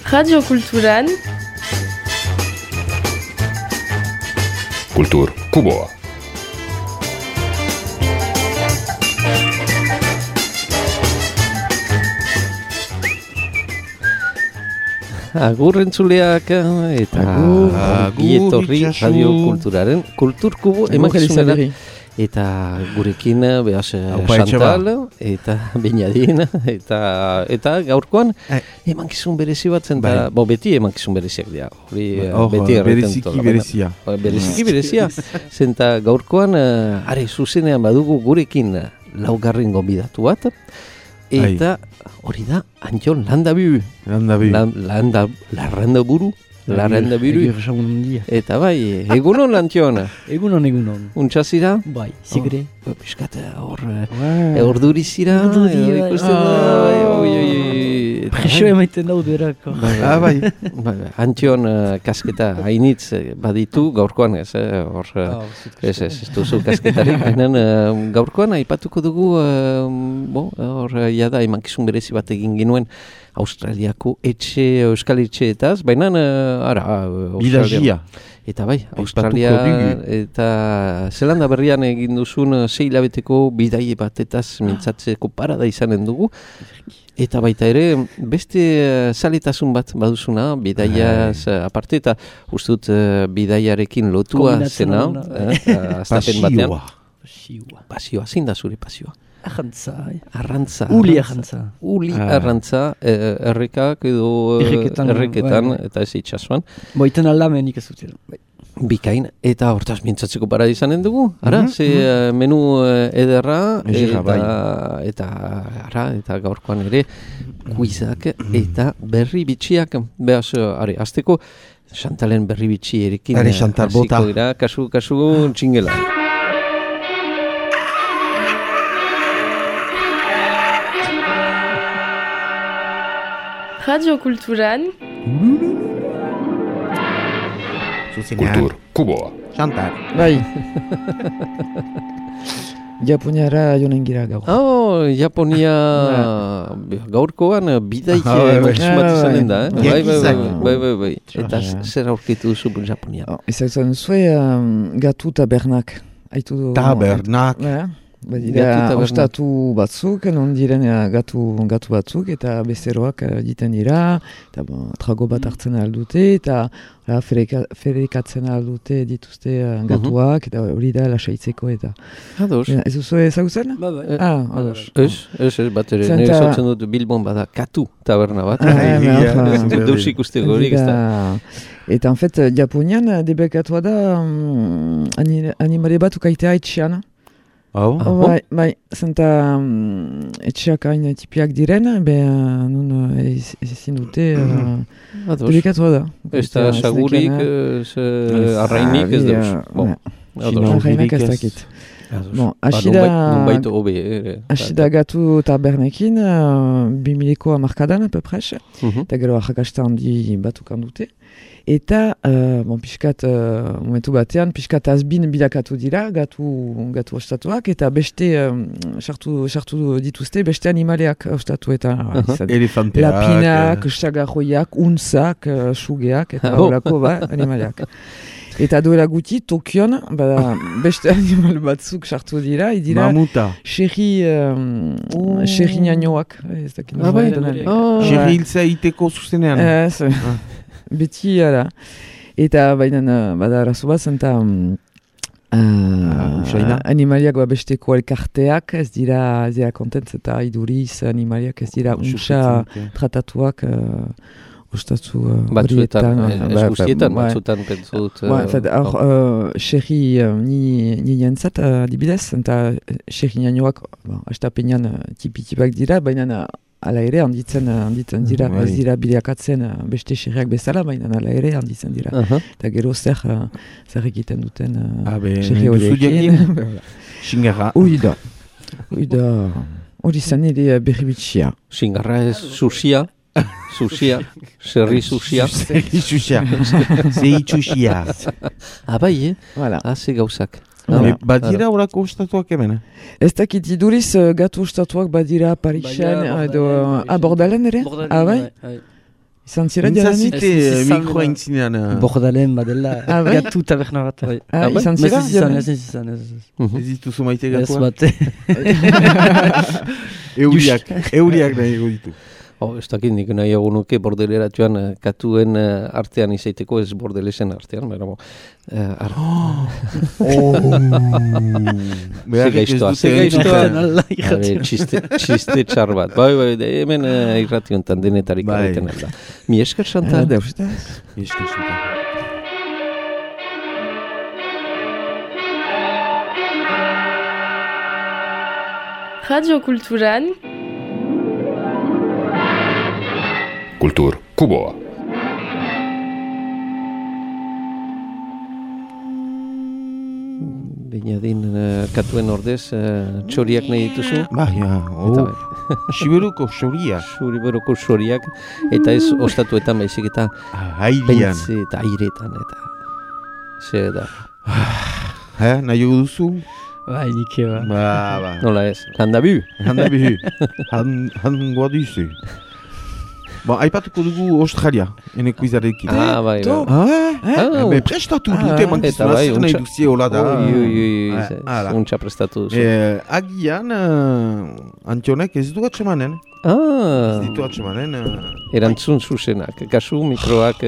Radio Kulturan Kultur Kuboa. Agur entzuleak eta gietorri Radio Kulturaren Kultur Kubo emakizunera. Eta gurekin behaz Chantal eta Beñadin eta gaurkoan emankizun berezi bat zen, beti emankizun bereziak dira. Bereziki berezia. Zenta gaurkoan, zuzenean badugu gurekin laugarren gonbidatu bat. Eta hori da, Antxon Landabiru. Larrandaburu. Eta bai, egunon Antxon. Egunon. Untxazira? Bai, zigre. Piskat hor durizira. Preso emaiten daude erako. Bai. Antxon kasketa hainitz baditu gaurkoan ez duzu kasketarik. Gaurkoan aipatuko dugu, hor jada emankizun berezi bat egin ginuen Australiako euskal etxeetaz, baina Australia. Eta bai, Australia eta Zelanda berrian egin duzun 6 hilabeteko bidaie batetaz mintzatzeko parada izanen dugu. Eta baita ere, beste zaletasun bat baduzuna, bidaiaz aparte, eta uste dut bidaiarekin lotua zena, astapen batean. Pasioa, zein da zure pasioa? Arrantza. Uli arrantza, errekak edo erreketan, eta ez itxasuan. Boiten aldamenik ez dut. Bikain, eta hortaz mintzatzeko parada izanen dugu. Menu ederra, eta gaurkoan ere, kuizak eta berri bitxiak. Behaz, azteko, Chantalen berri bitxi erekin hasiko dira, kasu txingela. Radio Kulturan Kultur Kuboa. Chantal. Bai. Japoniara joan gira gaur. Japonia gaurkoan bidaik emakizun bat izanen da. Bai. Eta zer aurkitu duzu Japonia? Ezagutzen zuen gatu tabernak. Tabernak? Badira ostatu batzuk, non diren gatu batzuk, eta bezeroak diten dira, eta trago bat hartzen aldute, eta ferekatzen aldute dituzte gatuak, eta hori da lasaitzeko eta... Ados. Ez duzu ezagutzen? Ados. Ez, bat ere, nire zotzen dut Bilbon bada katu taberna bat. Deus ikusteko horik ez da. Eta en fait, Japonian debekatua da animale bat ukaitea etxean. Bai, zenta etxeak hain tipiak diren, nun ezin dute debekatua da. Ez da sagurik, arrainik ez deus. Arrainak ez dakit. Asida gatu tabernekin, 2000ko amarkadan, apepres, eta gero arrakasta handi batukan dute. Eta, piskat, momentu batean, piskat azbin bilakatu dira, gatu ostatuak, eta beste, sartu dituzte, beste animaleak ostatuetan. Lapinak, sagarroiak, unzak, sugeak, eta horako animaleak. Eta duela guti, Tokion, beste animal batzuk sartu dira, mamuta. Xerri nianoak. Xerri hiltza iteko zuzenean. Beti, ara. Eta baina, bada arazo bat, zenta animaliak besteko elkarteak, ez dira kontentz, eta iduriz animaliak ez dira untsa tratatuak ostatu horietan. Batzuetan pentsut. Xerri niantzat, adibidez, eta xerri nianoak, astapenean tipiak dira, baina ala ere handitzen dira, ez dira bideakatzen beste xerriak bezala, baina ala ere handitzen dira. Eta gero zer egiten duten xerri horiekin. Xingarra. Uida. Hori zen ere berri bitxia. Xingarra ez susia. Xerri susia. Zei txusia. Bai, ze gauzak. Badira horako ostatuak hemen? Ez dakit iduriz gatu ostatuak badira Parixen edo Bordalen ere? Bai? Izan zira jadanik? Intzazite mikroa intzinean. Bordalen badela, gatu taberna bat. Izan zira? Ez izan. Ez dituzu maite gatua? Ez bate. Euriak nahi ditu. Ez dakit nik nahi nuke bordeleratuan katuen artean izaiteko, ez bordelesen artean, bera Segaiztoa. Txiste txar bat. Bai, hemen irrationtan denetarik arretan alda. Mi esker Chantal. Mi esker Chantal. Radio Kulturan Kultur Kuboa. Bainadin katuen ordez, txoriak nahi dituzu? Siberuko txoriak. Siberuko txoriak, eta ez ostatuetan baizik eta pentze eta airetan, eta zer da. Nahi duzu? Bai, nike ba. Nola ez, handabu. Hangoa duzu. Aipatuko dugu Australia, eneko izarekin. Bai. Prestatu dute, mankizuna zer nahi duzie hola da. Untxa prestatu duzu. Agian, Antionek ez du atxemanen. Ez ditu atxemanen. Erantzun zuzenak, kasu mikroak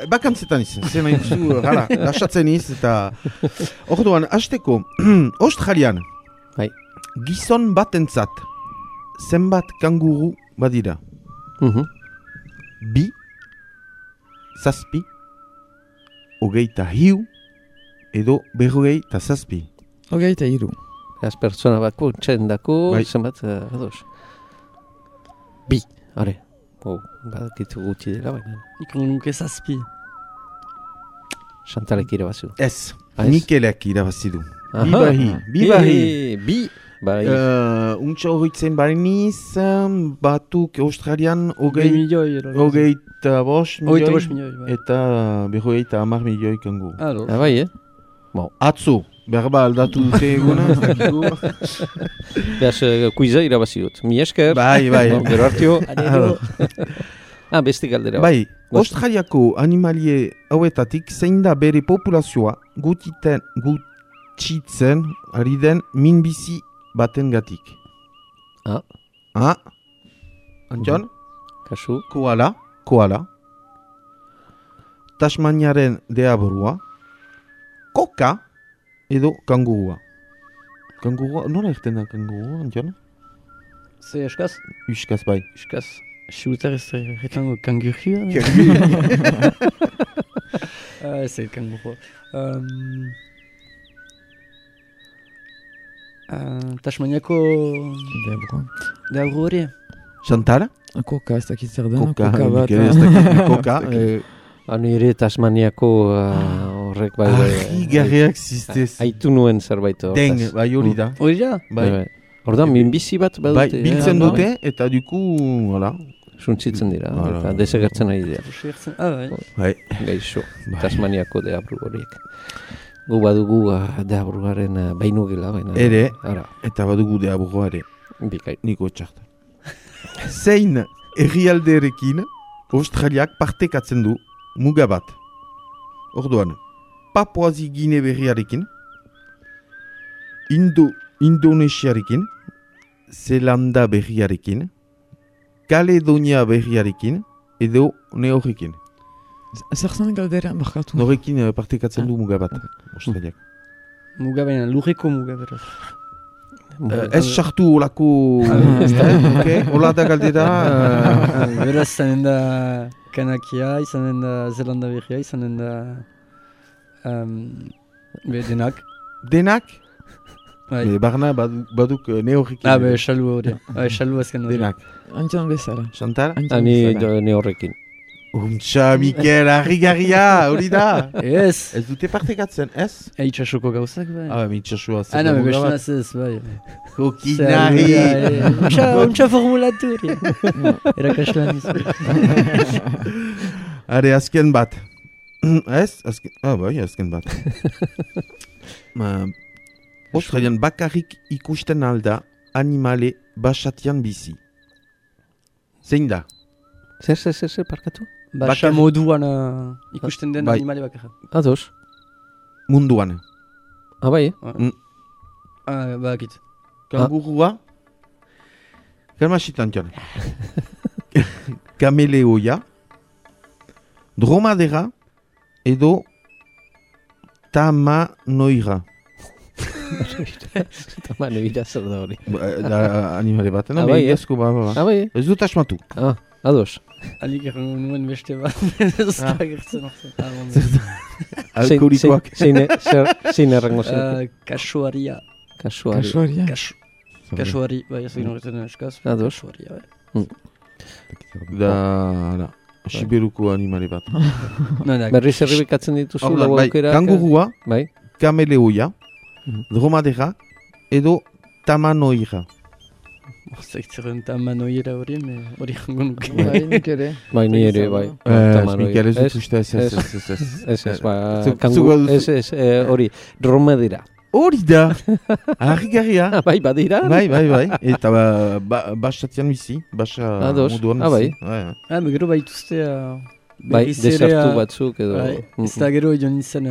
bakantzetan izan, zer nahi duzu, lasatzen iz, eta orduan, hasteko, Australian, gizon batentzat, zenbat kanguru badira? 2, 7, 23 edo 47. 23. Az pertsona bako txendako zenbat ados. 2, are. Badakitu gutxi dela baina. Ikon nuke 7. Chantalek irabazu. Ez, Mikelek irabazidu. Bibahi. Untsa horretzen bariniz, batuk Australian hogeita bost milioi eta berrogeita 10 milioi kangu. Bai, Atzo, berba aldatu dute eguna. Beaz, kuiza irabazi dut. Mi esker. Bai. Gero hartio. Beste galdera. Bai, Australiako animalie hauetatik zein da bere populazioa gutxitzen ari den minbizi baten gatik. Antion? Kasu? Koala. Tasmaniaren deaborua. Koka edo kangurua. Kangurua, nola erten da kangurua, Antion? Ze eskaz? Uskaz, bai. Uskaz. Siutar ez retango kangurua? Ez kangurua. Tasmaniako deabru hori? Chantal? Koka, ez dakit zer dena. Koka. Nire Tasmaniako horrek bai. Garriak ziztez. Aitu nuen zerbait horretaz. Den, bai hori da. Hori da? Bai. Horda, minbizi bat badute. Biltzen dute eta duku, hala. Suntzitzen dira, eta desegertzen ari dira. Bai. Gaixo, Tasmaniako deabru horiek. Gu badugu deabrugaren bainu gela, baina. Ere, eta badugu deabrua ere. Bikai. Niko txartan. Zein herrialderekin Australiak partekatzen du muga bat. Orduan, Papuazi Gine berriarekin, Indonesiarekin, Zelanda berriarekin, Kaledonia berriarekin, edo Neorrekin. Zer zen galdera, markatu? Norekin partekatzen du muga bat, Australiak. Muga baina, lurreko muga beraz. Ez sartu olako... Ola da galdera... Beraz, zanen da Kanakia, izanen da Zelanda berria, izanen da... Denak. Denak? Barna baduk Neorrekin. Xalu hori. Xalu azken hori. Denak. Antion bezala. Chantal? Ani Neorrekin. Untxa, Mikel, harri-garria, hori da. Ez. Ez dute partekatzen, ez? Itxasuko gauzak, bai. Itxasua. Bestunaz ez, bai. Kokinari. Untxa formulatu hori. Erakaslan izan. Are, azken bat. Ez? Bai, azken bat. Australian bakarrik ikusten alda animale basatian bizi. Zein da? Zer, parkatu? Basa moduan ikusten den animale bakarra. Ados. Munduan. Bai? Bakit. Kangurua. Kalmasitan txan. Kameleoia. Dromadera. Edo tamanoira. Tamanoira zer da hori. Animale bat. Bai? Ez dut asmatu. Ados. Alik errango nuen beste bat. Ez da gertzen orzen. Alkoholikoak. Zein errango zen? Kasuaria. Kasuari, bai, ez egin horretzen eskaz. Ados. Kasuaria, bai. Da, Siberuko animale bat. Berriz erribikatzen dituzu lau aukera. Kangurua, bai. Kameleoia, dromadera, edo tamanoira. Zaitzeren tamanoira hori jango nuke. Bai, nik ere. Bai, ni ere, bai. Mikel, ez dut uste, ez. Ez, hori, dromadera. Hori da, harrigarria. Bai, badira? Bai. Eta basatian bizi, basa moduan bizi. Bai, gero baituzte... Bai, desertu batzuk edo... Ez da gero joan izan,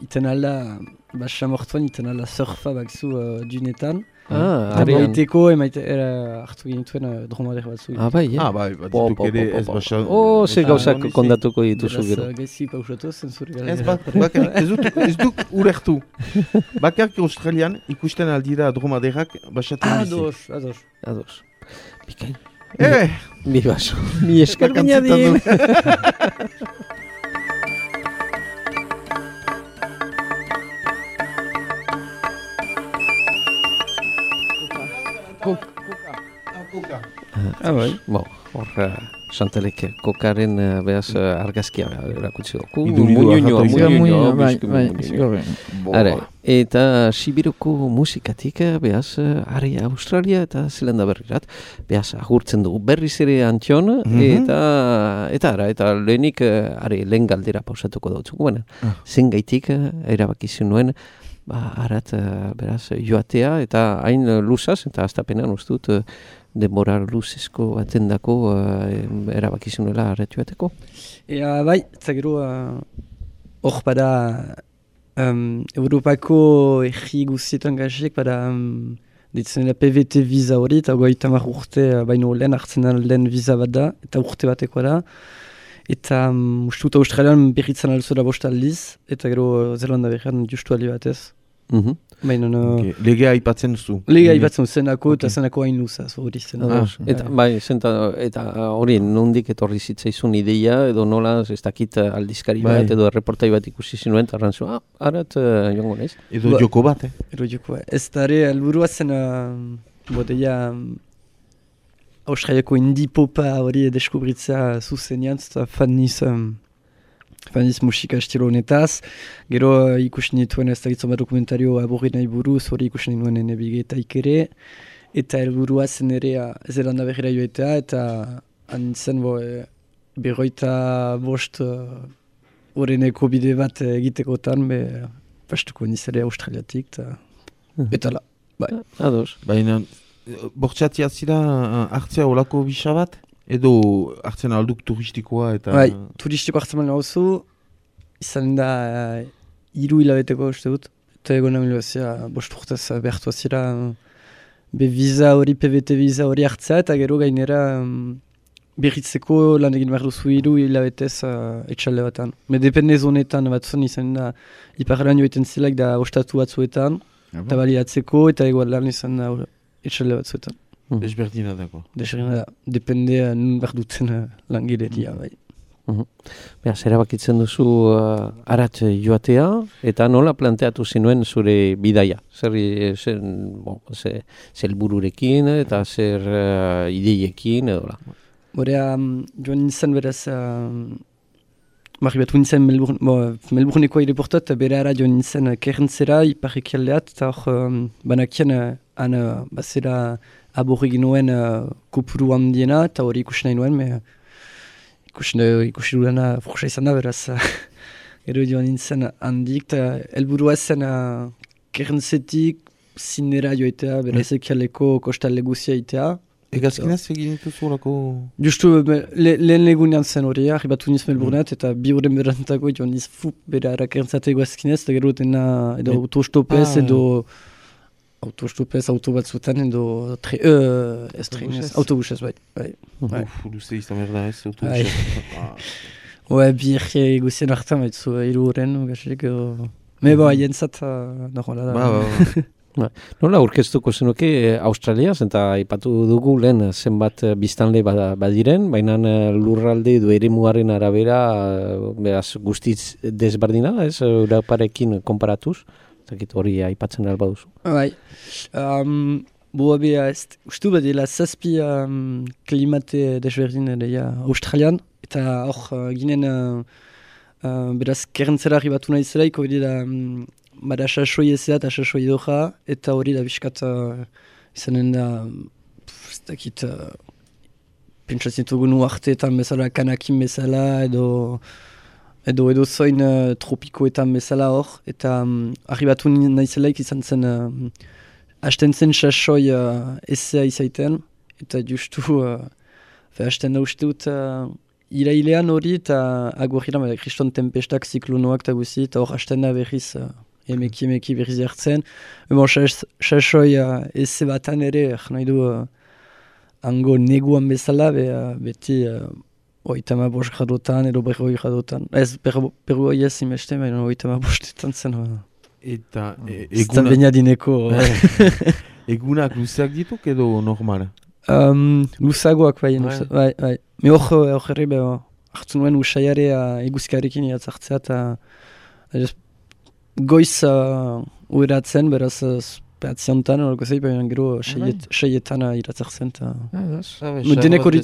iten alda, basa mortuan iten alda surfa bakzu dunetan. Baiteko hartu genituen dromadera batzuk. Bai, batituk ere ez basa... Ze gauzak kondatuko dituzu gero. Beraz, gaizki pausatu zenzuri gara. Ez duk urertu. Bakarrik Australian ikusten aldira dromaderak basatzen bizi. Ados. Bikain. Mi baso. Mi esker bainadin. Koka. Bai. Hor, Chantalek kokaren behaz argazkia erakutsi dugu. Muñoño. Eta Sibiruko musikatik behaz ari Australia eta Zelanda berrirat behaz agurtzen dugu berriz ere Antion eta lehenik lehen galdera pausatuko dautzuko. Zen gaitik erabakizu nuen arat beraz joatea eta hain luzaz eta aztapenean ustut denbora luzezko batendako erabakizunela arat joateko. Bai, eta gero hor bada Europako erri guztietan gazek bada ditzen PVT visa hori eta 30 urte baino lehen hartzen lehen visa bat da eta urte bateko da. Eta ustut Australian berritzen alzo da 5 aldiz eta gero Zelanda berrian justu aldi batez. Legea aipatzen duzu. Legea aipatzen zenako eta zenako hain luzaz hori zen. Eta hori nondik etorri zitzaizun ideia edo nola ez dakit aldizkari bat edo reportai bat ikusi zinuen eta arrantzu, arat joango naiz. Edo joko bat, Edo joko bat. Ez da ere helburua zen bodeia Australiako indie-popa hori deskubritzea zuzenean eta Faniz musika estilo honetaz. Gero ikusten dituen ez dakitzen bat dokumentario aborri nahi buruz, hori ikusten dituen nebigetaik ere. Eta helburua zen ere Zelanda berrira joetea, eta anitzen 55 horreneko bide bat egitekotan, pastuko nizere Australiatik, eta la. Ados. Baina, bortxatia zira hartzea olako bisa bat? Edo hartzen alduk turistikoa eta... Bai, turistiko hartzen malen hauzu, izan da 3 hilabeteko uste dut. Eta egon nahi lehazia, 5 urtez behartu azira visa hori, PVT visa hori hartzea, eta gero gainera berritzeko lan egin behar duzu 3 hilabetez etxalde batan. Me depende zonetan batzun izan da, iparlan joiten zilak da ostatu batzuetan, eta baliatzeko, eta egoan lan izan da etxalde batzuetan. Desberdina dago. Desberdina da, depende nun behar duten langileria, bai. Beraz, erabakitzen duzu arat joatea, eta nola planteatu zinuen zure bidaia? Zer helbururekin eta zer ideiekin edo la? Borea, joan nintzen beraz, batu nintzen Melbourneko aireportat, bere ara joan nintzen Kerrentzera, iparrekialdeat, eta hor banakien bazera aborri ginoen kopuru handiena, eta hori ikusi nahi nuen, ikusi dudana fursa izan da, beraz, gero joan nintzen handik, eta helburua zen Kerrentzetik zinera joetea, beraz ekialeko kostalde guzia itea, Egazkinaz egin dituzu olako... Justu, lehen legunean zen hori, arribatu niz Melbourneat, eta 2 horren berantako joan niz bera erakertzate egazkinez, eta gero dena edo autostopez, edo autostopez, autobatzutan, edo autobusez, bai. Luze izan berda ez, autobusez. Bi erri eguzien hartan, baitzu, 3 horren, gaxelik, jentzat, normal da. Nola aurkeztuko zenuke Australiaz, eta aipatu dugu lehen zenbat biztanle badiren, baina lurralde edo eremuaren arabera beraz guztiz desberdina, ez Europarekin konparatuz, hori aipatzen alba duzu. Bai, bea ustu badela 7 klimate desberdin Australian, eta hor ginen beraz kerrentzera arribatu nahi zelaik, hori da bada sasoi ezea eta sasoi doja, eta hori da biskat izanen da, ez dakit, pentsatzen dugun uarteetan bezala, kanakin bezala, edo zoin tropikoetan bezala hor, eta arribatu nahi zelaik izan zen, hasten zen sasoi ezea izaiten, eta justu, hasten da uste dut, irailean hori, eta agurriran, kriston tempestak, ziklonoak eta guzi, eta hor hasten da berriz, emeki berriz hartzen. Sasoi eze batan ere, nahi du hango neguan bezala, beti 35 gradotan edo 40 gradotan. Ez, 40 ez imeste, baina 35etan zen. Eta egunak luzeak dituk edo normal? Luzagoak bai. Me hor herri hartu nuen usaiare eguzkarekin iatzartzea eta goiz ueratzen, beraz peatziontan, horreko zei, baina gero seietan iratzartzen. Denek hori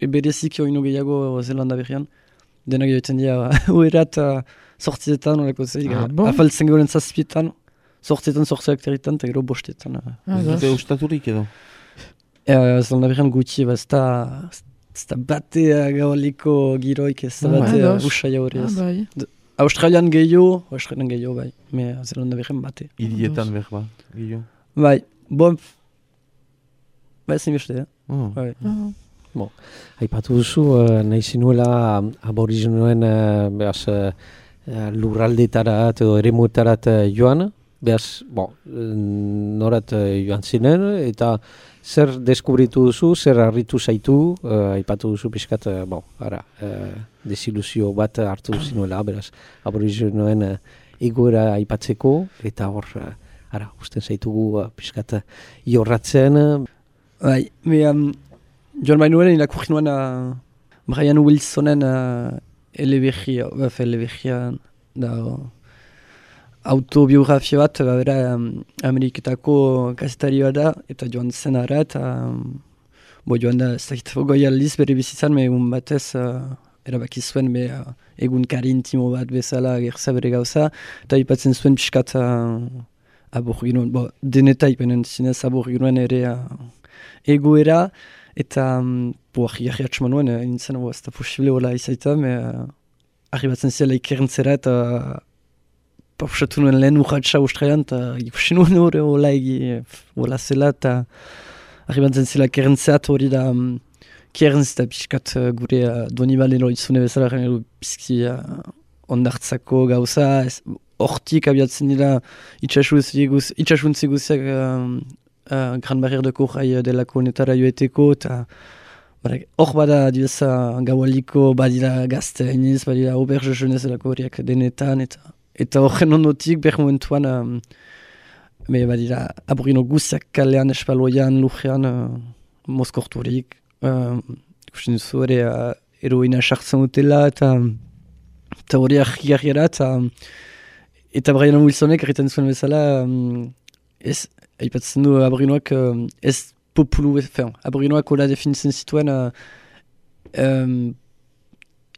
berezik oinu gehiago Zelanda berrian. Denak joiten dira uerat sortzietan, horreko zei, afaltzen goren 7etan, sortzietan, sortzeak eta gero 5etan. Eta ustaturik edo? Zelanda berrian gutxi, ez da bate gabaliko giroik, ez da bate usaia hori ez. Australian gehiago, bai, me Zelanda berren bate. Hirietan berba, gehiago? Bai, ezin beste, bai. Aipatu duzu, nahi zinuela aborigenoen lurraldetarat edo eremuetarat joan, behaz, norat joan zinen, eta zer deskubritu duzu, zer harritu zaitu, aipatu duzu pixkat, desiluzio bat hartu zinuela, beraz, aborigenoen egoera aipatzeko, eta hor, usten zaitugu pixkat jorratzen. Bai, joan bainuen irakurri nuen Brian Wilsonen eleberria da autobiografia bat, bera Ameriketako kazetarioa da, eta joan zen ara, eta joan da, ez dakit, goi aldiz bere bizitzan, egun batez erabaki zuen egunkari intimo bat bezala gerza bere gauza, eta ipatzen zuen pixkat aborginuen, denetai benen zinez aborginuen ere egoera, eta jarri atxman nuen, nintzen, ez da posible hola izaita, arribatzen zela ikerrentzera, eta pausatu nuen lehen urratxa Australian, eta ikusi nuen hori hola zela, eta arribatzen zela kerentzeat hori da kerentz eta pixkat gure Donibalen horitzune bezala, bizki ondartzako gauza, hortik abiatzen dira itxasuntzi guziak Gran Barrière de Corail delako netara joeteko, eta hor bada dibeza gaualiko badira gazte hainiz, badira auberge jeunez delako horiak denetan, eta horren ondotik behar momentuan badira aborino guziak kalean, espaloian, lujean, mozkorturik, ikusten duzu ere heroina sartzen dutela, eta hori argi-argiara, eta Brian Wilsonek erriten zuen bezala, aipatzen du aborinoak ez populu, aborinoak hola definitzen zituen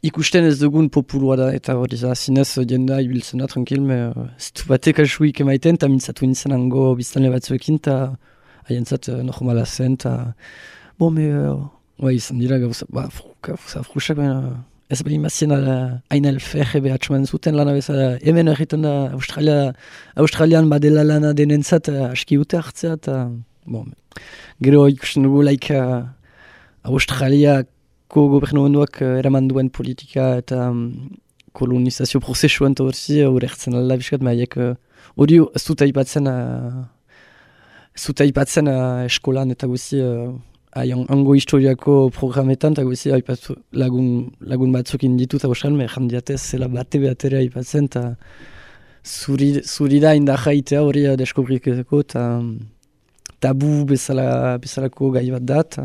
ikusten ez dugun populua da, eta hori zinez jenda ibiltzen da, tranquil, zitu batek asuik emaiten, eta mintzatu nintzen hango biztanle batzuekin, eta haientzat normala zen, eta izan dira gauza, frusak, ez bali mazien hain alferre behatxoan zuten lana bezala, hemen erriten da Australian badela lana denentzat aski ute hartzea, eta Gero ikusten dugu Australiako gobernuak eraman duen politika eta kolonizazio prozesuan eta horzi horretzen alda biskat, maiek hori ez dut aipatzen eskolan eta guzi hango historiako programetan eta guzi lagun batzuk inditu eta bosan, jandiatez zela bate-beatere aipatzen eta zuri da indahaitea hori deskubriketeko eta tabu bezalako gai bat dat.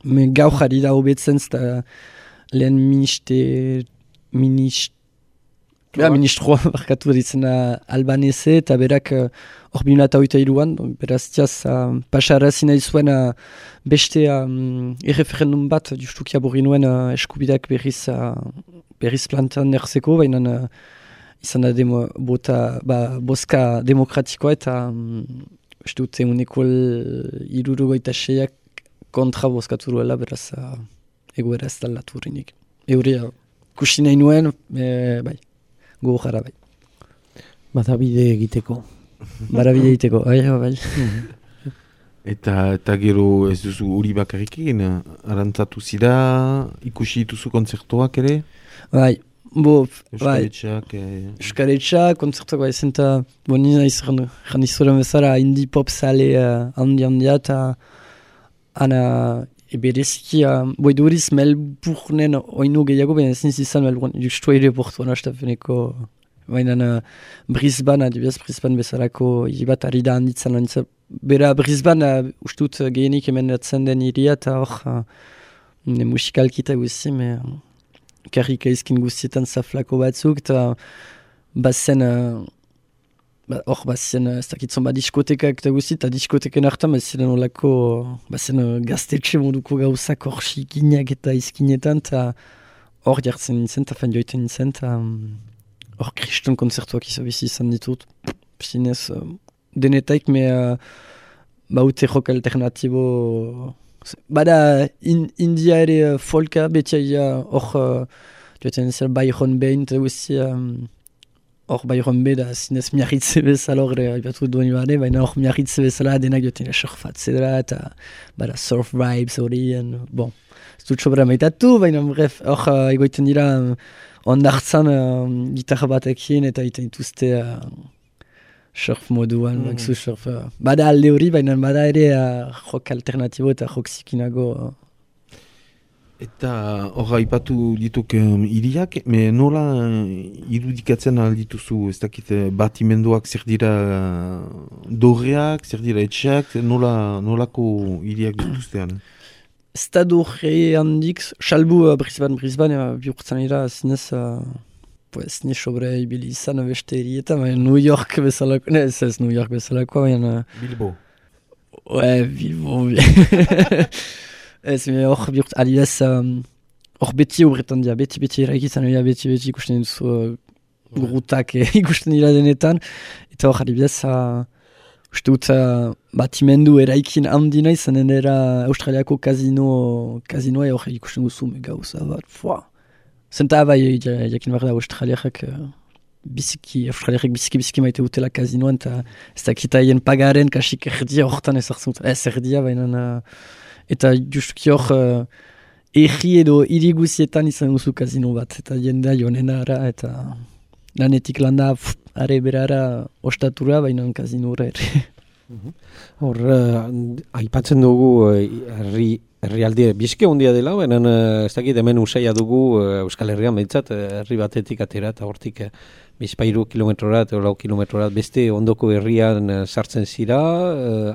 Gau jarri da hobetzen eta lehen ministroa barkatu ditzen albanese eta berak hor 2008an, beraz tiaz pasarazi nahi zuen beste erreferendum bat justukia borri nuen eskubideak berriz plantan erzeko, baina izan da boska demokratikoa eta uste dute uneko 76ak kontra bozkatu duela, beraz egoera ez dalatu horinik. Euria kusi nahi nuen, bai, gogo jara bai. Badabide egiteko. Badabide egiteko, bai. Eta gero ez duzu uri bakarrikin, arantzatu zira, ikusi dituzu kontzertuak ere? Bai, Euskaretxak, kontzertuak bai zenta, nina izan izoren bezala indie pop sale handia eta ana ebereziki, duriz Melbournen oinu gehiago, baina ezin izan Melbourne, justu aeroportuan astafeneko, baina Brisbane, adibidez Brisbane bezalako bat ari da handitzen. Bera Brisbane ustut gehienik hemen datzen den iria eta hor musikalkita guzi, karrika izkin guztietan zaflako batzuk, eta bazen ez dakitzen diskotekak eta guzti, eta diskoteken hartan bazen olako gaztetxe moduko gauzak hor xikinak eta izkinetan, eta hor jartzen nintzen, eta fan joiten nintzen, eta hor kriston konzertuak izan ditut. Zinez, denetaik, baute rock alternatibo. Bada India ere folka, beti hor joiten nintzen Byron Bay, eta guzti, hor Byron Bay da zinez miarritze bezala hor aipatu duen bade, baina hor miarritze bezala denak joten surfatzera eta bada surf vibes hori, bon, ez dut sobra maitatu, baina bref, hor egoiten dira ondartzan gitarra batekin eta iten dituzte surf moduan, surf. Bada alde hori, baina bada ere rock alternatibo eta rock zikinago. Eta hor aipatu dituk iriak, nola irudikatzen aldituzu, ez dakit batimenduak zer dira dorreak, zer dira etxeak, nolako iriak dituztean? Ez da dorre handik, salbu Brisbane bihurtzen dira, zinez ni sobre ibili izan beste irietan, New York bezalako, ez New York bezalako, baina... Bilbo. Bilbo. Ez, hor bihurtzen, adibidez, hor beti horretan dira, beti eraikizan dira, beti ikusten duzu grutak ikusten dira denetan, eta hor adibidez, uste dut batimendu eraikin handina izan dira Australiako kasinoa hor ikusten duzu gauza bat, Zenta bai, jakin behar da Australiarek biziki maite dutela kasinoan, eta ez dakita hien pagaren kasik erdia horretan ezartzen dut. Ez erdia, baina... Eta justuki hor erri edo iriguzietan izan duzu kasino bat, eta jendea jonena ara, eta lanetik landa are berara ostatura, baina kazinora ere. Hor, aipatzen dugu herrialdi bizke hondia dela, baina ez dakit hemen usaila dugu Euskal Herrian behintzat, herri batetik atera eta hortik bizpairu kilometrora eta 4 kilometrora beste ondoko herrian sartzen zira,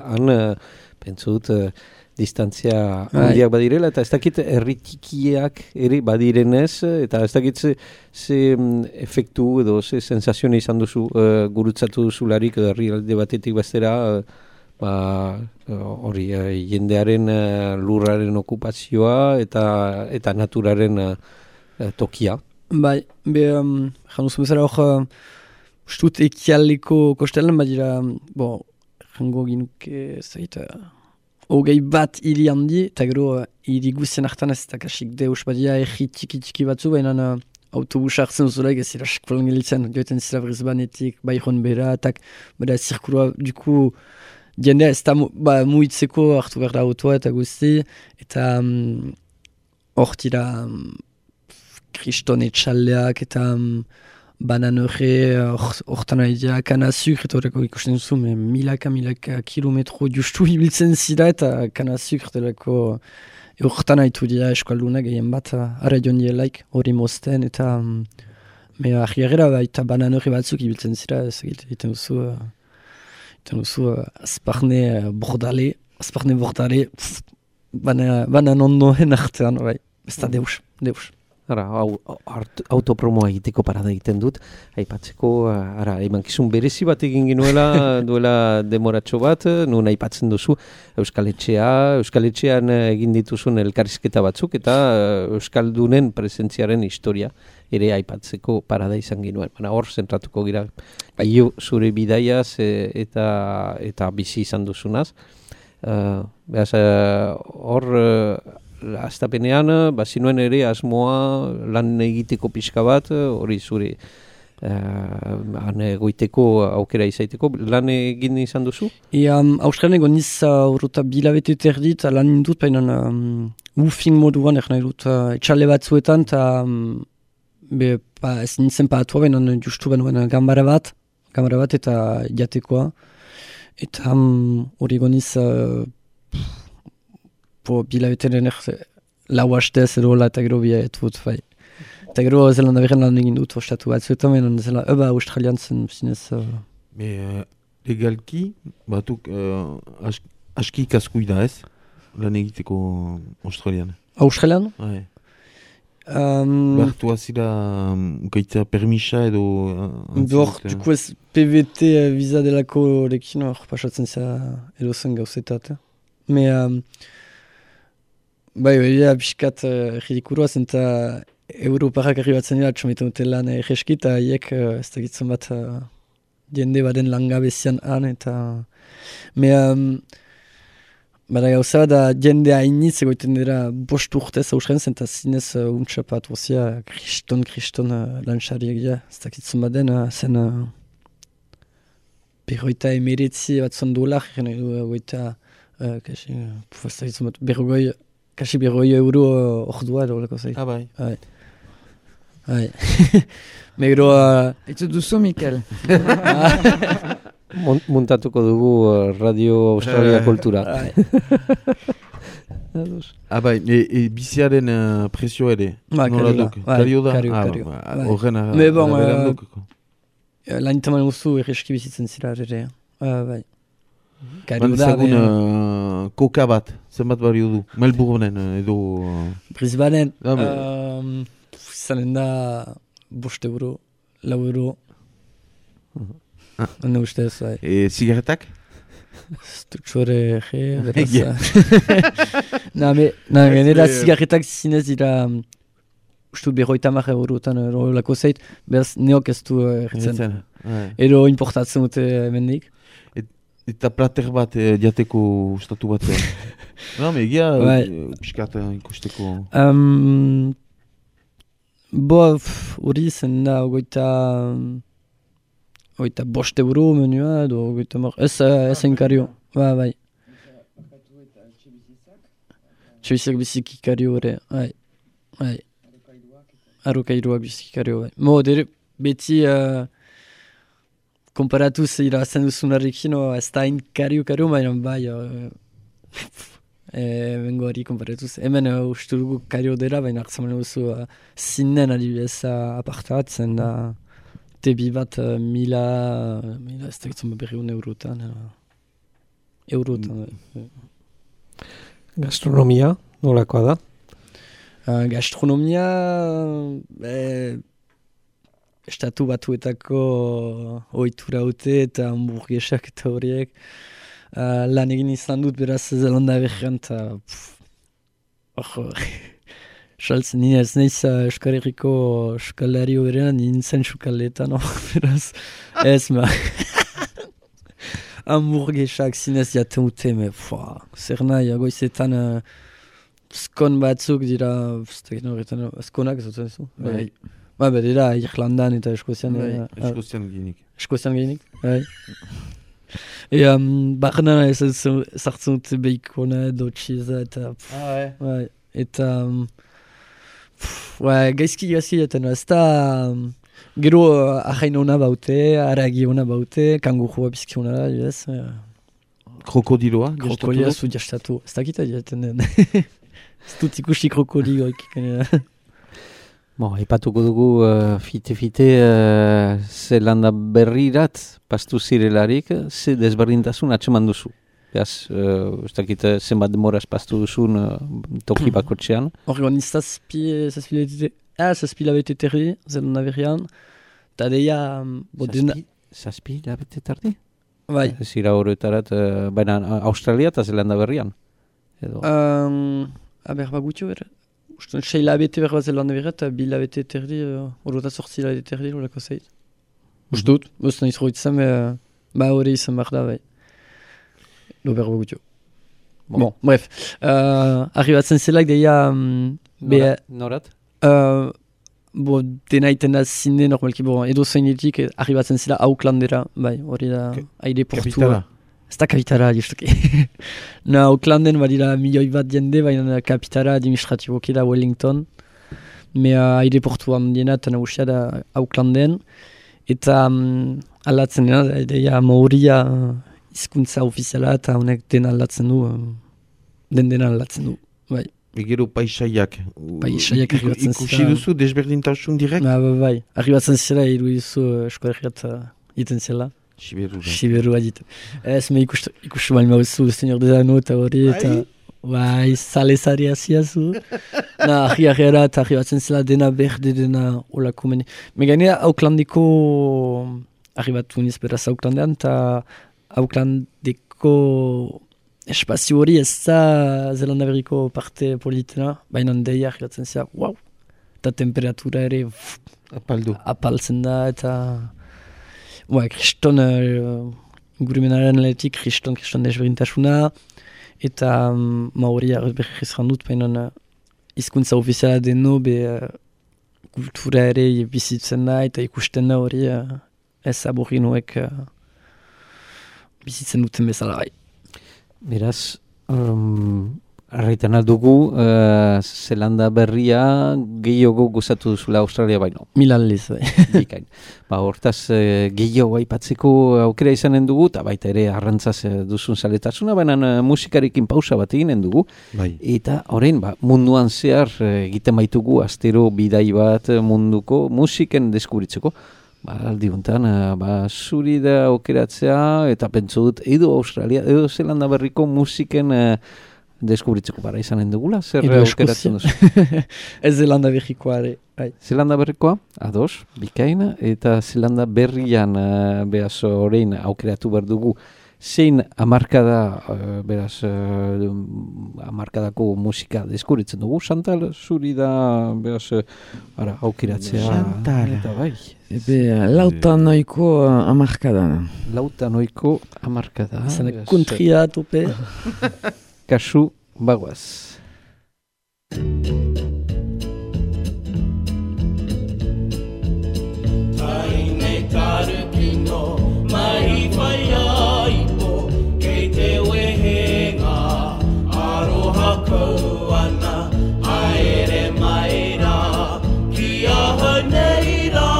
han pentsu dut distantzia handiak badirela, eta ez dakit herri tikiak ere badirenez, eta ez dakit ze efektu edo ze sensazioa izan duzu gurutzatu duzularik edo herrialde batetik bestera, hori jendearen lurraren okupazioa eta naturaren tokia. Bai, janduzu bezala hor ustut ekialdeko kostelan badira, jango ginuke zaita hogei bat hiri handi, eta gero hiri guzien hartan ez eta kasik deus badia erri txiki batzu, baina autobus hartzen zulaik ez zira sekpolan gelitzen, joiten zira Brisbanetik, Byron bera, eta bada zirkulua, duku jendea ez da muitzeko hartu behar da autoa eta guzti, eta hor tira kriston etxaldeak eta bananore hortan aidea kana sukr eta horreko ikusten duzu, milaka kilometro justu ibiltzen zira eta kana sukr delako hortan haitu dira eskaldunak gehien bat ara joan dielaik hori mozten eta ahiagera eta bananore batzuk ibiltzen zira ez egiten duzu azparne bordale banan ondoen artean ez da deus. Ara, autopromoa egiteko parada egiten dut, aipatzeko, emankizun berezi bat egin ginuela, duela demoratxo bat, nun aipatzen duzu Euskal Etxean egin dituzun elkarrizketa batzuk, eta Euskaldunen presentziaren historia ere aipatzeko parada izan ginuen. Baina hor, zentratuko gira, zure bidaiaz eta bizi izan duzunaz. Hor, astapenean, bazinuen ere asmoa lan egiteko pixka bat, hori zure goiteko aukera izaiteko, lan egin izan duzu? Australian egon niz urruta bilabete terdit, lan indut, baina ufing moduan nahi dut etxale batzuetan, eta ez nintzen paatua, baina justu benuen gambara bat eta jatekoa, eta hori egon niz bilabeteren lau hastez edo eta gero biaetut, bai. Eta gero Zelanda berren lan egin dut ostatu batzuetan, baina zela Australian zen zinez. Legalki, batuk aski ikaskuida ez, lan egiteko Australian? Australian? Bai. Bertu azira ukaitza permisa edo... Duko ez PVT visa delako lekin hor pasatzen zera edo zen gauzetat. Bai, biskat ridikurua zen eta Europarrak arribatzen dira txometan dute lan egeski eta hiek ez da gitzen bat jende baden langabezian han eta bada gauza da jende hainitz egoiten dira 5 urtez Australian zen eta zinez untxapat bozia kriston lanxariak dira ez da gitzen baden zen 59 bat zon $100 kasi €100 ordua edo leko zait. Bai. Bai. Megro... Etzu duzu, Mikel. Muntatuko dugu Radio Australia Kultura. Bai, biziaren presio ere. Kario da. Horren araberan duk. Lan itaman guzu erreski bizitzen zira ere. Bai. Ezagun koka bat, zenbat bari du? Melbourneen edo... Brisbaneen, zanen da €5, €4. Hane ustez, bai. Zigaretak? Stutxore, beraz. Genera zigaretak zinez dira... Ustut €50 lako zait, beraz neok ez du erretzen. Edo importatzen dute hemendik. Eta plater bat jateko ustatu bat. Egia piskat ikusteko. Hori zen da €5 menua edo ez enkario. Bai. Txebizak biziki kario ere. Bai. Arrokairuak biziki kario. Bai. Beti... Komparatuz irazen duzunarrekin, ez da hain kario, baina bai, bengo hori komparatuz. Hemen uste dugu kario dela, baina hartzaman duzu zinen adibidez apartatzen da tebi bat mila ez da gitzen €100. Gastronomia, nolakoa da? Gastronomia... Estatu batuetako ohitura haute eta hamburguesak eta horiek lan egin izan dut beraz Zelanda berrian eta saltzen nire ez nahiz Euskal Herriko Euskalari berean nintzen sukaldeetan beraz ez hamburguesak zinez jaten dute zer nahi goizetan skon batzuk dira skonak ez dut zu? Dira Irlandan eta Eskozian. Eskozian gehinik. Eskozian gehinik, bai. Barna ez sartzen dute beikona edo txiza eta... Eta... gaizki jaten, ez da... Gero ahain hona baute, aragi hona baute, kangurua bizki hona da, ez... Krokodiloa? Krokodia zu jastatu. Ez dakita jaten den. Ez dut ikusi krokodioik. Epatuko dugu fite-fite Zelanda berrirat pastu zirelarik, ze desberdintasun atseman duzu. Beaz, ez dakit zenbat demoraz pastu duzun toki bakotxean. Horregon, zazpi labete terri, Zelanda berrian, eta deia... Zazpi labete tardi? Bai. Zira horretarat, baina Australia eta Zelanda berrian? Bagutio, bera. Uston, 6 labete berra Zelanda berrian, eta 2 labete terdi, horretat sortzi labete terdi, horreko zeit. Ustut, uston izro itzam, hori izan behar da, bai. Berra bagutio. Bon, bref. Arribatzen zelak deia... Norat? Dena iten da zine normalki, edo zeinetik arribatzen zela Aucklandera, bai, hori da aireportua. Kapitala? Ez da kapitala, justuki. Aucklanden badira milioi bat jende, baina kapitala administratiboki da Wellington. Aireportua handiena eta nagusia da Aucklanden. Eta aldatzen dena, deia Maoria hizkuntza ofiziala eta honek dena aldatzen du, dena aldatzen du, bai. Gero paisaiak arribatzen zira. Ikusi duzu desberdintasun direkt? Bai, arribatzen zira irudizu eskoerriat iten zela. Siberua ditu. Ez me ikustu bali mauzu, Señor de Dano eta hori, eta bai, salezari aziazu. Arriara eta arribatzen zela dena berde, dena olako meni. Meganea Aucklandeko arribatu niz beraz Aucklandean, eta Aucklandeko espazio hori ez da Zelanda berriko parte politena, baina deia arribatzen zera, wow! Eta temperatura ere apaltzen da, eta... kriston, gurumenaren lehetik, kriston desberintasuna, eta Maori berri ezran dut, baina hizkuntza ofiziala deno, kultura ere bizitzen da, eta ikusten da hori ez aborinoek bizitzen duten bezala bai. Beraz, arreiten aldugu, Zelanda berria gehiago gozatu duzula Australia baino. Milalliz, bai. Bikain. Hortaz, gehiago aipatzeko aukera izanen dugu, eta baita ere arrantzaz duzun zaletasuna, baina musikarekin pausa bat eginen dugu. Bai. Eta horrein, munduan zehar egiten baitugu, astero bidai bat munduko musiken deskubritzeko. Aldi honetan, zuri da aukeratzea, eta pentsu dut, edo Australia, edo Zelanda berriko musiken deskubritzeko bara izanen dugula, zer aukeratzen duzu? Ez Zelanda berrikoa ere. Zelanda berrikoa, ados, bikaina, eta Zelanda berrian beraz horrein aukeratu behar dugu zein hamarkada, beraz, hamarkadako musika deskubritzen dugu. Chantal, zuri da, beraz, aukeratzea. Chantal. Eta bai. Lautan noiko hamarkada. Lautan noiko hamarkada. Zene kuntria tope. Kasu bagoaz. Taine karuki no mai whai aipo kei te wehenga aroha kau ana aere mai rā ki aha nei rā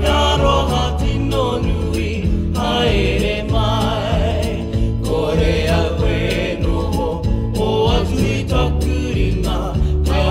ia roha tino nui aere mai kore a koe noho o atu i takuringa ka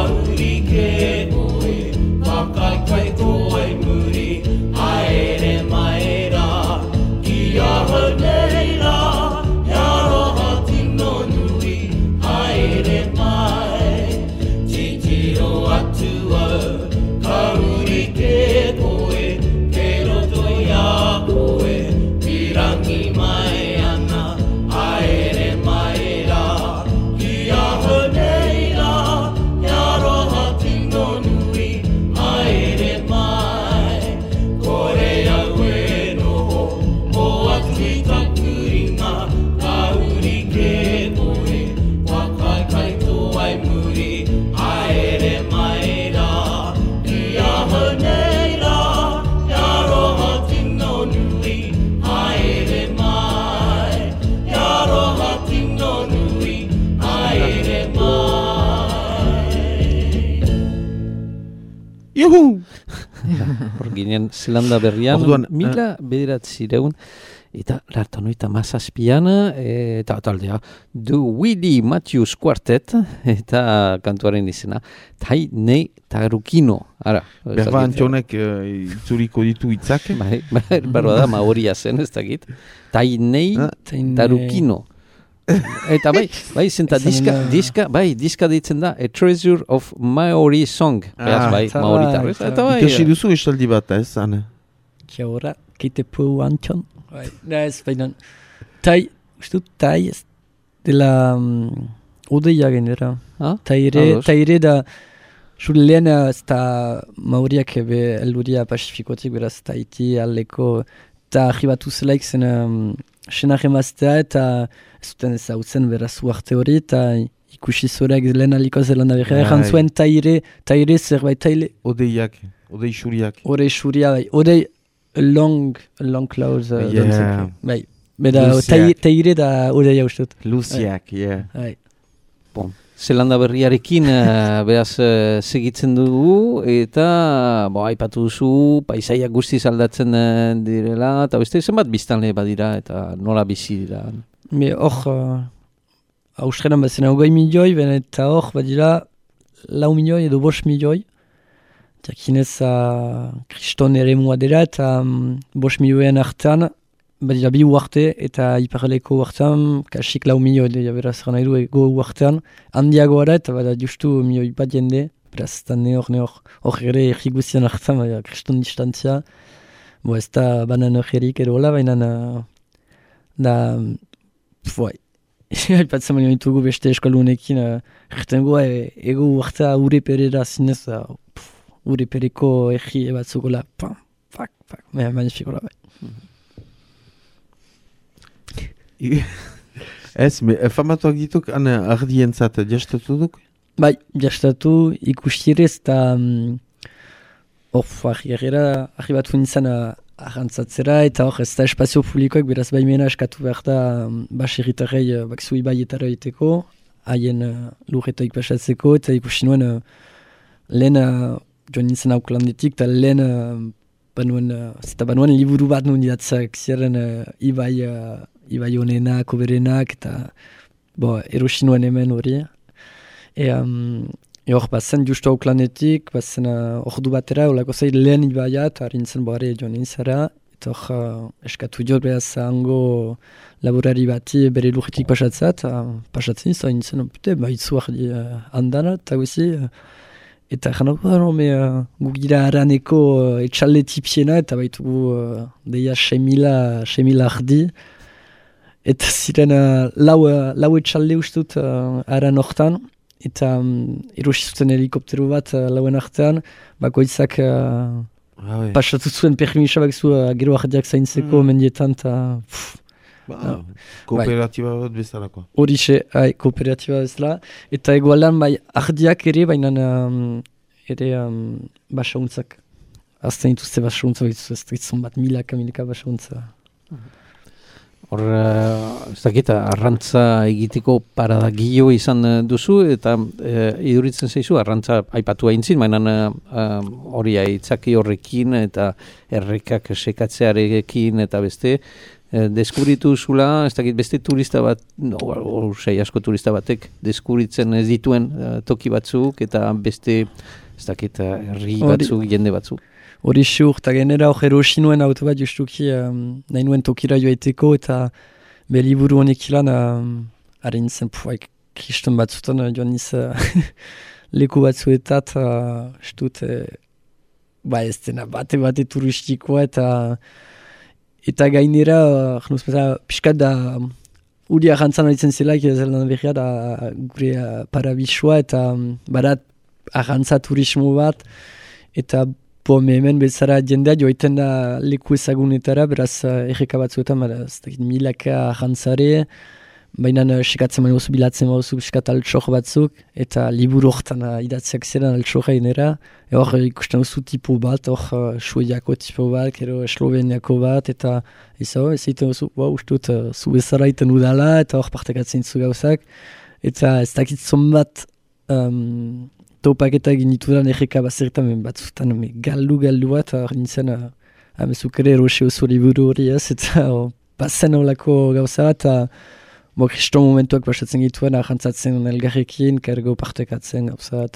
Juhu! Hor ginen Zelanda berrian, Orduan, 1900 eta lartanoita mazazpian, eta taldea, The Willie Matthews Quartet, eta kantuaren izena, Tai Nei Tarukino. Ara, Berba Antxonek itzuriko ditu hitzak. Barba da, maoria zen, ez dakit. Tai Nei Tarukino. Eta bai, zenta diska deitzen da, A Treasure of Maori Song. Beaz, maoritarrez. Eta bai. Ikasi duzu estaldi bat, ez, Ane? Kia ora, keite pu Antxon. Ez, baina, tai ez dela odeia genera. Taire da, zure lehen ez da maoriak elduria pasifikotik, beraz, Tahiti, aldeko, eta arribatu zelaik zen senak emaztea, eta ez zuten ezautzen beraz uarte hori, eta ikusi zoreak lehen aliko Zelanda berra. Egan zuen taire zerbait taile. Odei xuriak. Odei xuria, bai. Odei long clouds. Bai. Beda, taire da odeia ustut. Luziak, Bai. Bon. Zelanda berriarekin beraz segitzen dugu, eta aipatu duzu, paisaiak guztiz aldatzen direla, eta beste zenbat biztanle badira, eta nola bizi dira? Hor, Australian bazena 20 milioi, eta hor badira 4 milioi edo 5 milioi. Jakinez kriston ere mua dira, eta 5 milioen artean, badira bi uarte, eta iparreleko uartean, kasik 4 milioi, beraz gana edu ego uartean, handiago ara, eta bada justu milioi bat jende, beraz, eta hor ere erriguzian artean, kriston distantzia, ez da banan horrerik edo hola, baina da, haipatzen baino ditugu beste eskalunekin, ertengoa ego uartea ure perera zinez, ure pereko erri batzukola, magnificola, bai. Ez, famatuak dituk, ardientzat jastatu duk? Bai, jastatu ikustirez, eta arribatu nintzen arrantzatzera, eta hor ez da espazio publikoak, beraz baimena eskatu behar da baserritarrei bakzui baietara egiteko, haien lurretoik pasatzeko, eta ikusi nuen lehen joan nintzen auklandetik, eta lehen banuan liburu bat nuen idatzak ziren Ibai honenak, oberenak, eta erosi nuen hemen hori. Hor bazen justu auklanetik, bazen ordu batera, olako zain lehen Ibaia, eta harintzen boare joan nintzara, eta hor eskatu jod behaz hango laborari bati bere lurretik pasatzea, eta pasatzen izan nintzen, baitzu ardi handana, eta guzi, eta janoko gugira haraneko etxalde tipiena, eta baitugu deia 6.000 ardi, eta ziren lau etxalde ustut haran hortan, eta erosi zuten helikoptero bat lauen artean, bakoitzak pasatu zuen permisa bakzu gero ardiak zaintzeko mendietan, eta kooperatiba bat bezalakoa. Horixe, kooperatiba bezala, eta egualan ardiak ere, baina ere basauntzak. Azten dituzte basauntzak, ez ditzen bat milaka basauntza. Hor, ez dakit, arrantza egiteko paradagio izan duzu, eta iduritzen zaizu, arrantza aipatu aintzin, baina hori aitzaki horrekin, eta errekak sekatzearekin, eta beste, deskubritu zula, ez dakit, beste turista bat, asko turista batek, deskubritzen ez dituen toki batzuk, eta beste, ez dakit, herri batzuk, jende batzuk. Hori xur, eta genera hor erosi nuen auto bat justuki nahi nuen tokira joaiteko, eta beliburu honek ilan harin zen kriston batzutan joan niz leku batzuetat estut ez dena bate turistikoa, eta gainera piskat da uri arrantzan horitzen zelaik Zelanda berria da gure parabisua, eta barat arrantza turismo bat, eta hemen bezala jendea joiten da leku ezagunetara, beraz erreka batzuetan, milaka jantzare, baina sekatzen mani oso bilatzen mauzu piskat altxor batzuk, eta liburu horretan idatziak ziren altxorra inera, hor ikusten duzu tipo bat, hor Suediako tipo bat, kero Esloveniako bat, eta ez egiten duzu, ustut, zu bezala iten udala, eta hor partekatzen zu gauzak, eta ez dakitzon bat topaketa egin ditudan erreka bazertan batzutan galdu bat, nintzen amezuk ere erosi oso liburu hori ez, eta bazen olako gauza bat, kriston momentuak basatzen gituen, jantzatzen elgarrekin, kargo partekatzen gauza bat,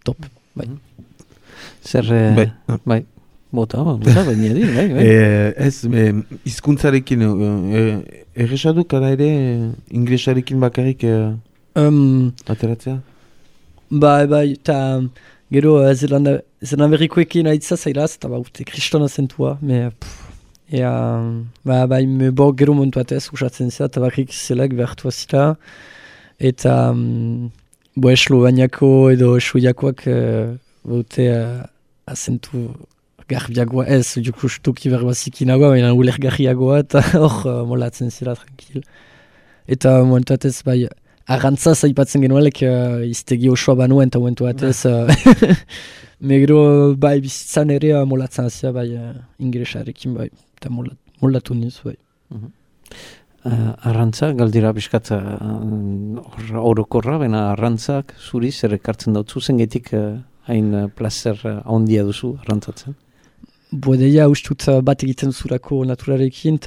top, bai. Zer, bai. Bota, baina dir, bai. Ez, hizkuntzarekin erresadu, kara ere, inglesarekin bakarrik ateratzea? Bai, eta gero Zelanberrikoekin aitza zailaz, eta urte kristona zentua, gero momentu batez, usatzen zela, eta barrik zelak behartua zila, eta Esloveniako edo Esloiakoak baute azentu garbiagoa ez, justuki berbazikinagoa, baina ulergarriagoa, eta hor molatzen zela tranquil. Eta momentu batez, bai, arrantza zaipatzen genuelek iztegi osoa banuen, eta momentu batez, megero, bai, bizitzan ere molatzen zela, bai, ingresarekin, bai, eta molatu niz, bai. Arrantza, galdira biskatza orokorra, baina arrantzak zuri zer ekartzen dautzu, zengetik hain placer handia duzu arrantzatzen? Bodeia ustut bat egiten duzurako naturarekin,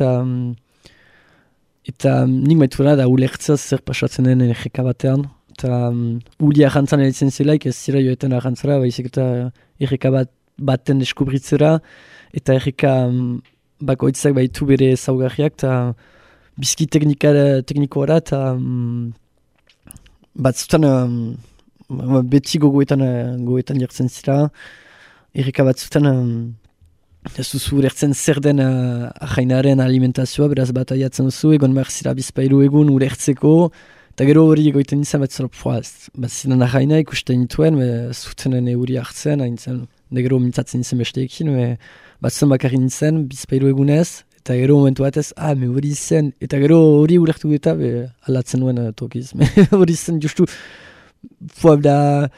eta nik maituena da ulertzaz zer pasatzen den erreka batean, eta uli arrantzan eritzen zelaik, ez zira joetan arrantzara, baizik eta erreka baten deskubritzera, eta erreka bakoitzak baitu bere zaugarriak, eta bizki teknikoara, eta batzutan beti gogoetan jartzen zira, erreka batzutan ez duzu ulertzen zer den ahainaren alimentazioa, beraz bataiatzen duzu, egon behar zira bizpailu egun ulertzeko, eta gero hori egoiten izan bat zinan ahaina ikusten nituen, zutenen euri hartzen, da gero mintzatzen izan besteekin, batzen bakarri nintzen, bizpailu egunez, eta gero momentu batez, hori zen, eta gero hori ulertu eta alatzen nuen tokiz. Hori zen justu, da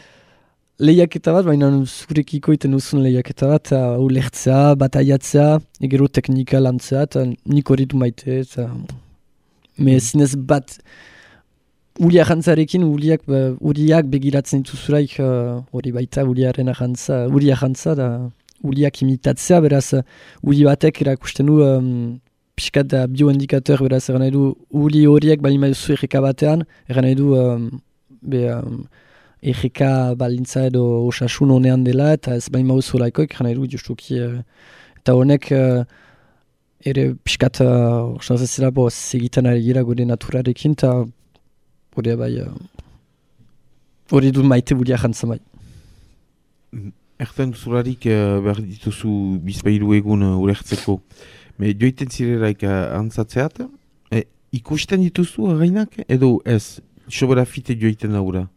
lehiaketa bat, baina zurekiko iten duzun lehiaketa bat, ulertzea, bataiatzea, gero teknika lantzea, eta nik hori du maite, eta zinez bat, ulia jantzarekin, uliak begiratzen dituzuraik, hori baita uliaren jantza, da uliak imitatzea, beraz, uli batek erakusten du, pixkat da bioindikator, beraz, eran nahi du, uli horiek balima duzu erreka batean, eran nahi du, erreka balintza edo osasun honean dela, eta ez bain mauzu laikoik, jana eru justuki, eta honek ere pixkat osanzazela segiten ari gira gure naturarekin, eta hori du maite bulia jantza bai. Erten duzularik behar dituzu bizpailu egun ulertzeko, joiten zirelaik antzatzeat, ikusten dituzu againak, edo ez, sobera fite joiten daura?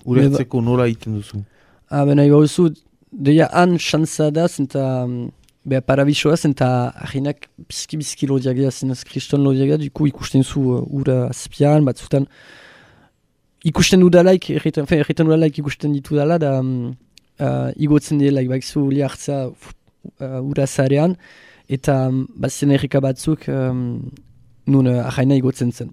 Ulertzeko nola egiten duzu? Bena igauzu, deia han xantza da, zenta parabisoa, zenta ahinak bizki lodiagea, zinez kriston lodiagea, duku ikusten zu ura azpian, batzutan ikusten dudalaik, erretan dudalaik ikusten ditu dala, da igotzen delaik, bakizu uli hartza ura zarean, eta bazien erreka batzuk, nun ahaina igotzen zen,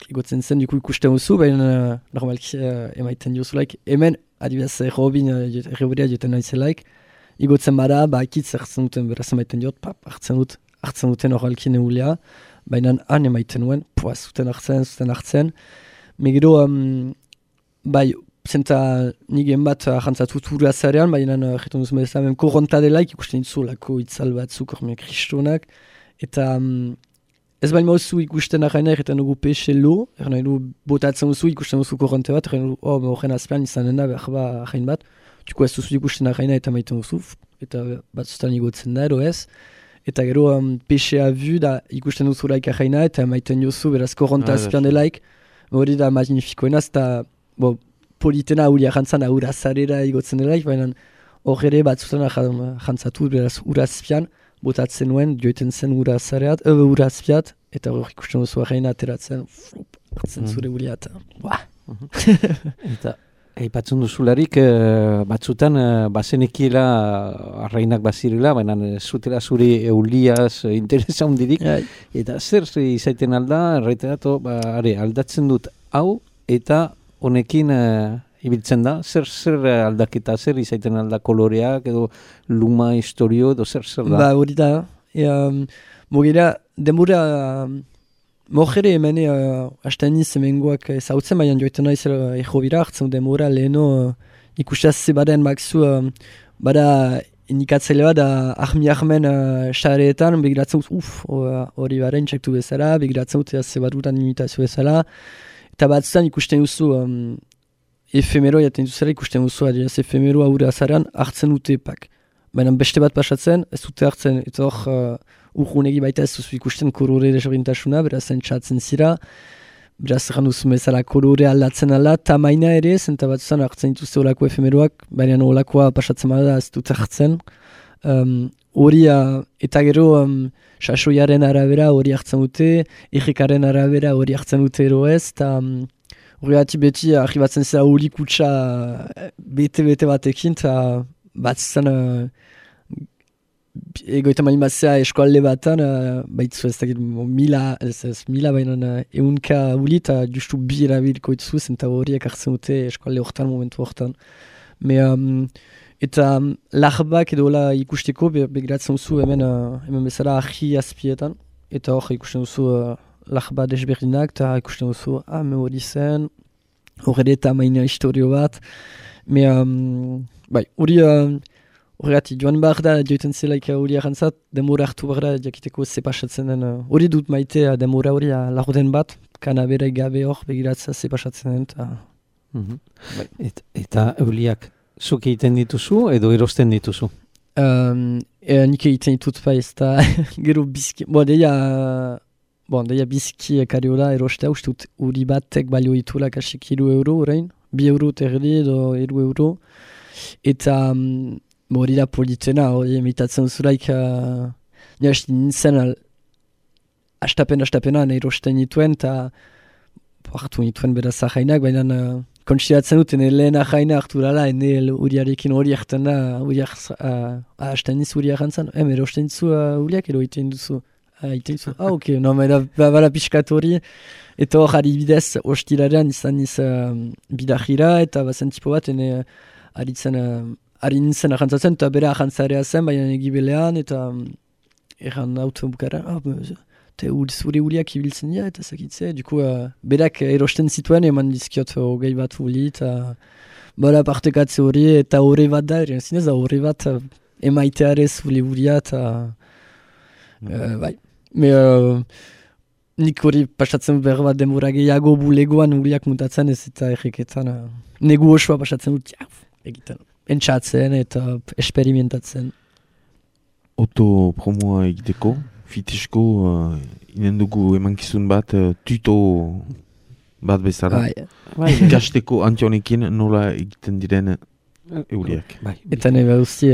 igotzen zen, duku ikusten duzu, baina normalki emaiten diozulaik. Hemen, adibidez, Robin erreborea joten naizelaik, igotzen bada, akitz hartzen duten, beraz emaiten diot, hartzen duten horrelkin eulea, baina han emaiten nuen, zuten hartzen. Megero, zenta nigen bat jantzatut ura zarean, baina jeton duzu bezala, korronta delaik ikusten ditzu, lako itzal batzuk, kristonak, eta ez bain mauzu ikusten ahaina erretan dugu pexe lo, erretan dugu botatzen duzu ikusten duzu korronte bat, erretan dugu horren azpean izanen da behar ahain bat, duko ez duzu ikusten ahaina eta maiten duzu, eta batzutan igotzen da edo ez, eta gero pexea vu da ikusten duzu laik ahaina eta maiten duzu beraz korronte azpean delaik, hori da magnifikoenaz, eta politena uli ahantzan aura zarera igotzen delaik, baina hor ere batzutan ahantzatu beraz ura azpian, botatzen nuen, joiten zen ura azpiat, eta hor ikusten duzu ahaina ateratzen, hartzen zure ulia eta Eta aipatzen duzularik, batzutan bazenekiela arrainak bazirela, baina zutela zure euliaz interesa hundirik, eta zer izaiten alda, erraiteatu, aldatzen dut hau, eta honekin ibiltzen da, zer aldaketa, zer izaiten alda koloreak, edo luma, historio, edo zer da? Ba, hori da. Mogera, demura... Mojere hemen hasten niz hemengoak ezautzen, baina joiten naiz ego bira hartzen demora leheno ikustaz zebaren bakzu bada indikatzaile bat Ahmi Ahmen xareetan begiratzen hori baren txektu bezala, begiratzen zebarutan imitazio bezala, eta batzutan ikusten duzu efemero jaten duzera ikusten duzu adiaz efemero aurre azaran hartzen dute epak. Baina beste bat pasatzen, ez dute hartzen, eta hor urgunegi baita ez duzu ikusten kolore desberintasuna, beraz entzatzen zira, beraz erran duzu bezala kolore aldatzen ala, tamaina ere, zenta batzutan hartzen dituzte olako efemeroak, baina olakoa pasatzen bada ez dute hartzen. Hori, eta gero sasoiaren arabera hori hartzen dute, errekaren arabera hori hartzen dute ero ez, eta hori beti arribatzen zera hori kutsa bete batekin, eta batzutan egoita malin batzea eskualde batan, baitzu ez dakit mila baina eunka uli eta justu bi erabilko itzu zenta horiek hartzen dute eskualde hortan, momentu hortan. Eta larbak edo ikusteko begiratzen duzu hemen bezala ahi azpietan, eta hor ikusten duzu larba desberdinak, eta ikusten duzu hori zen, horre eta maina historio bat, bai, hori horregatik, joan behar da, joiten zelaik hori arantzat, demora hartu behar da, jakiteko ze pasatzen den. Hori dut maite, demora hori lagoden bat, kanabera gabe hor begiratzea ze pasatzen den. Eta euliak, zuk egiten dituzu edo erosten dituzu? Nik egiten ditut pa ez da, gero bizki, deia bizki kariola erostea, ustut hori batek balio ditula kasik €2 orain, €2 terdi edo €1, eta hori da politena, hori emitatzen zuraik, nintzen astapenan erosten nituen, eta hartu nituen beraz ahainak, baina konsideratzen duten lehen ahaina hartu dala, uriarekin hori hartan da, hasten niz uri ahantzan, erosten dizu uriak edo iten duzu. Ok, bala pixkat hori, eta hor ari bidez, hostilaren izan niz bidajira, eta bazen tipo bat, ari nintzen ahantzatzen, eta bere ahantzarea zen, baina egibelean, eta erran auto bukara, zure uriak ibiltzen dira, eta zakitze, duku, berak erosten zituen, eman dizkiot hogei bat uli, eta bala partekatze hori, eta horre bat da, zinez da horre bat emaitearez uria, eta bai. Nik hori pasatzen behar bat demora gehiago bulegoan uriak mutatzen ez, eta erreketan negu osoa pasatzen dut, egiten. Entzatzen eta esperimentatzen. Promoa egiteko, fitesko inen dugu emankizun bat, tuto bat bezala. Ikasteko antionekin nola egiten diren euriak. Eta nebe usti,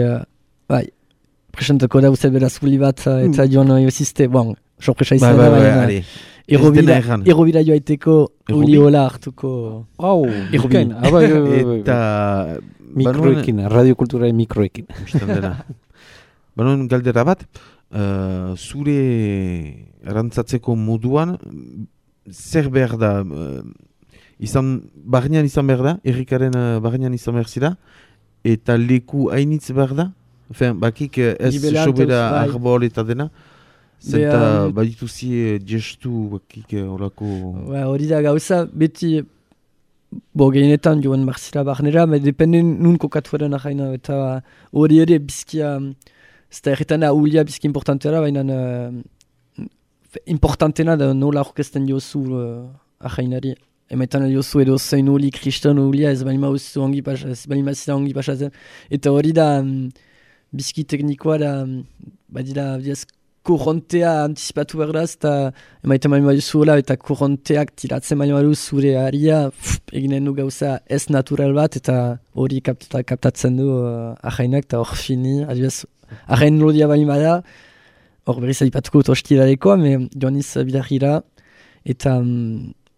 presentako dauzet beraz uli bat, eta joan jozizte, sorpresa izan da, baina errobira joaiteko uli hola hartuko. Errobin. Eta... Mikroekin, radiokulturaren mikroekin. Banon galdera bat, zure erantzatzeko moduan, zer behar da, barnean izan behar da, errikaren barnean izan behar zira, eta leku hainitz behar da, bakik ez sobera arbol eta dena, zenta badituzi gestu bakik horako... Hori da gauza, beti... gehienetan joan marzira barnera, depende nun kokatuaren ahaina, eta hori ere bizkia, ez da erretan da ulia bizki importantera, baina importantena da nola orkesten diozu ahainari. Emetan diozu edo zein uli kriston ulia, ez balima uzu ongi pasatzen, eta hori da bizki teknikoa da, badira, korrontea antizipatu behar da, eta emaiten mali badu zuela, eta korronteak tiratzen mali badu zure haria, eginen du gauza ez natural bat, eta hori kaptatzen du ahainak, eta hor fini, adibaz, ahain lodia bali bada, hor berriz adipatuko hostilalekoa, joan iz bidarira, eta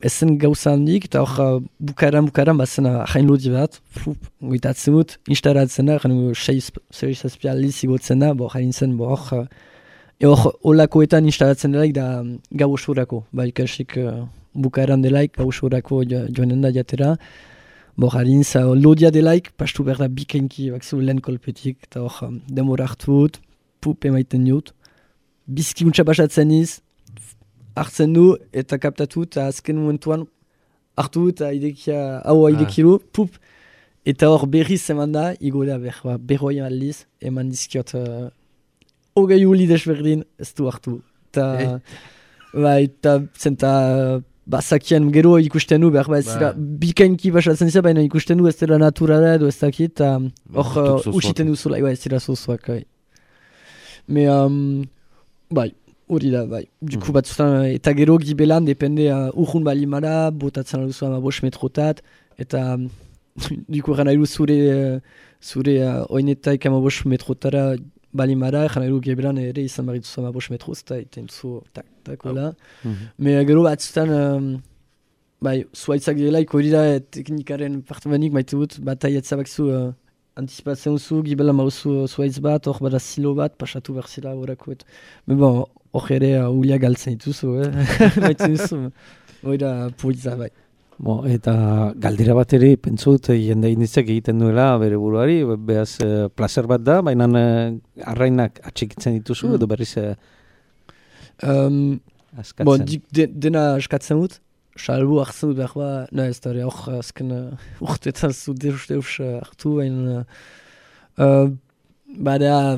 ezen gauza handik, eta hor bukaran, bazen ahain lodi bat, goitatzen dut, instalatzen da, gano 6 aldiz igotzen da, hain zen, hor, olakoetan instalatzen delaik da gau osurako, ikasik bukaeran delaik gau osurako joanen da jatera. harin za lodia delaik, pastu behar da bikainki bakzu lehen kolpetik, eta hor demora hartu dut, pup emaiten dut, bizki untsa pasatzen iz, hartzen du, eta kaptatu, eta azken momentuan hartu dut, eta idekiru, pup, eta hor berriz eman da, igoda berroi aldiz, eman dizkiot, hogei uli desberdin, ez du hartu. Eta zenta bazakien gero ikusten du, behar ez dira, bikainki basatzen zira, baina ikusten du ez dira naturala edo ez dakit, eta hor usiten duzula, ez dira zozoak. Me, hori da, duku batzutan, eta gero gibelan, depende urrun balimara, botatzen duzu 5 metrotat, eta duku gana iru zure oinetaik 5 metrotara balimara, gana iru gibelan ere izan barituzu 5 metroz, eta iten duzu takola. Me gero batzutan, zuaitzak delaik hori da teknikaren partamenik maite dut, bataietza bakzu anticipatzen duzu, gibelan mauzu zuaitz bat, hor bada silo bat, pasatu berzila horako. Me bon, hor ere ulia galtzen dituzu, maite duzu, hori da puitza bai. Eta galdera bat ere, pentsut, jende inditzek egiten duela bere buruari, behaz placer bat da, baina arrainak atxikitzen dituzu, edo berriz askatzen? Dena askatzen dut, salbu hartzen dut behar ba, ez da hor azken urtetan zu deus hartu, baina bada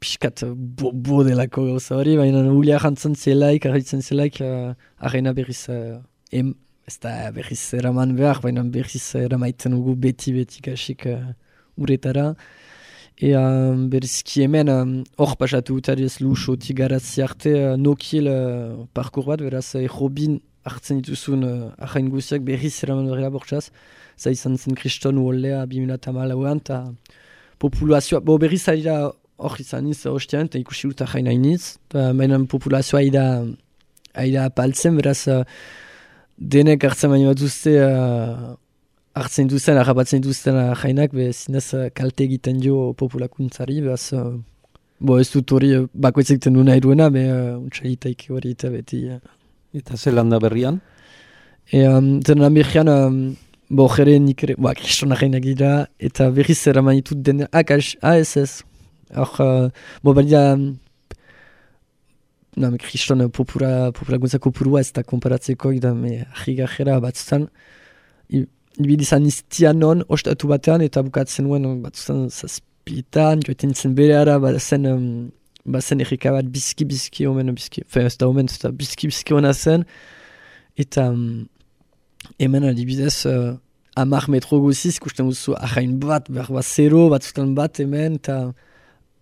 piskat bo delako gauza hori, baina ulia jantzen zelaik, arraitzen zelaik, arraina berriz ez da berriz eraman behar, baina berriz eramaiten ugu beti kasik uretara. Berizki hemen hor pasatu utariz luxotik garatzi arte nokil parkour bat, beraz Robin hartzen dituzun arrain guziak berriz eraman berrela bortzaz. Za izan zen kriston uoldea 2014an, eta populazioa, berriz ari da hor izan iz hostian, eta ikusi dut arrain hainiz, baina populazioa ari da apaltzen, beraz denek hartzen baino batuzte hartzen duzen, harrapatzen duzten jainak, zinez kalte egiten dio populakuntzari, beraz, ez dut hori bakoitzek den du nahi duena, untxagitaik hori eta beti. Eta Zelanda berrian? Zelanda berrian, jere nik ere, kristona jainak dira, eta berriz eraman ditut den, ez. Hor, balida, kriston populakuntza kopurua ez da konparatzeko, ahi gajera batzutan, ibidizan iztian non, ostatu batean, eta bukatzen nuen batzutan zazpitan, joetan zen bere ara, bazen errika bat bizki, omen bizki, ez da omen, eta bizki hona zen, eta hemen adibidez, 10 metro guziz, ikusten duzu ahain bat, behar zero, batzutan bat hemen, eta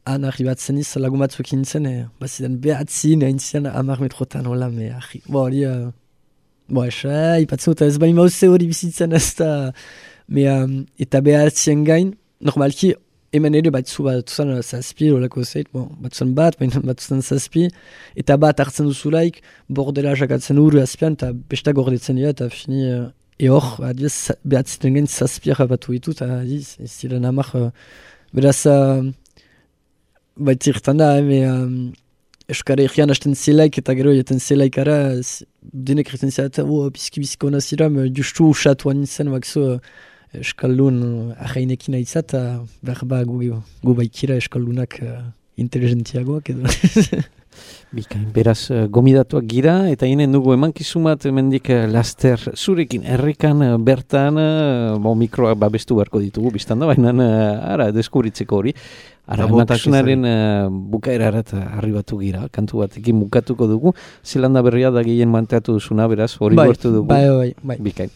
han arribatzen iz, lagun batzuk nintzen, bazidan behatzin, haintzian 10 metrotan, hola, hori, ipatzen dut, ez bali mauze hori bizitzen ez da, eta behatzien gain, normalki, hemen ere batzuzan zazpi, horako zeit, batzuzan batzuzan zazpi, eta bat hartzen duzulaik, bordela jakatzen uru azpian, eta besta gordetzen dira, eta fini, hor, behatziten gain zazpi harrapatu ditu, eta ez ziren amak, beraz, baitzirtan da, Euskara egian hasten zelaik eta gero jaten zelaikara, denek egiten zela, bizki hona zira, justu usatu anintzen, bakzo Euskaldun ahainekin aitza, eta behar gu baikira Euskaldunak inteligentiagoak edo. Bikain, beraz, gomidatuak gira, eta hinen dugu emankizumat mendik laster zurekin errekan bertan, mikroak babestu beharko ditugu, biztan da, baina ara, deskubritzeko hori. Ara, emankisunaren bukaerarat arribatu gira, kantu batekin bukatuko dugu, Zelanda berria da gehien manteatu duzuna, beraz, hori gortu dugu. Bai. Bikain.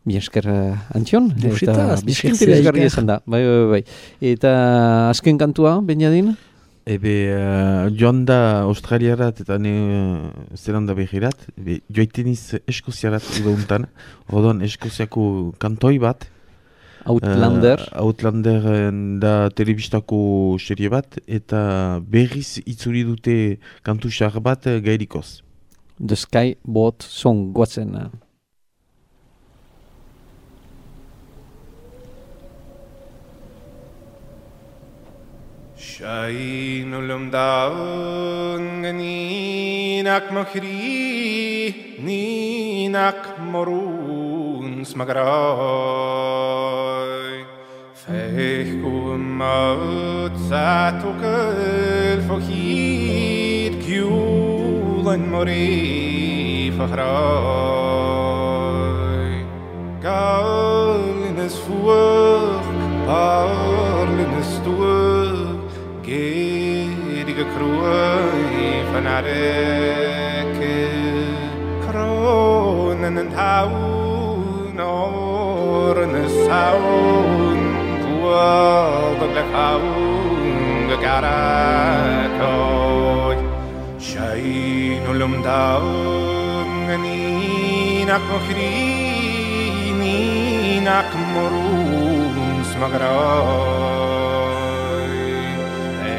Bi esker Antion, eta bizkinteresgarri esan da. Bai. Eta azken kantua, Benjadin? Joan da Australiarat eta Zelanda berrirat, joaiten iz Eskoziarat udauntan, orduan Eskoziako kantoi bat, Outlander da telebistako serie bat, eta berriz itzuri dute kantu xar bat gairikoz. The Sky Boat Song, guatzen. Shain ulam daun ninak makhri ninak marun uns magrai fech kumot satukel fochid kjulen mori fachrai galines fuhr parlines stuhr gerige kroi fanareke kronen en haun oren saun puagle haun garakoy shain ulum daun ninak mochri ninak morun smagrai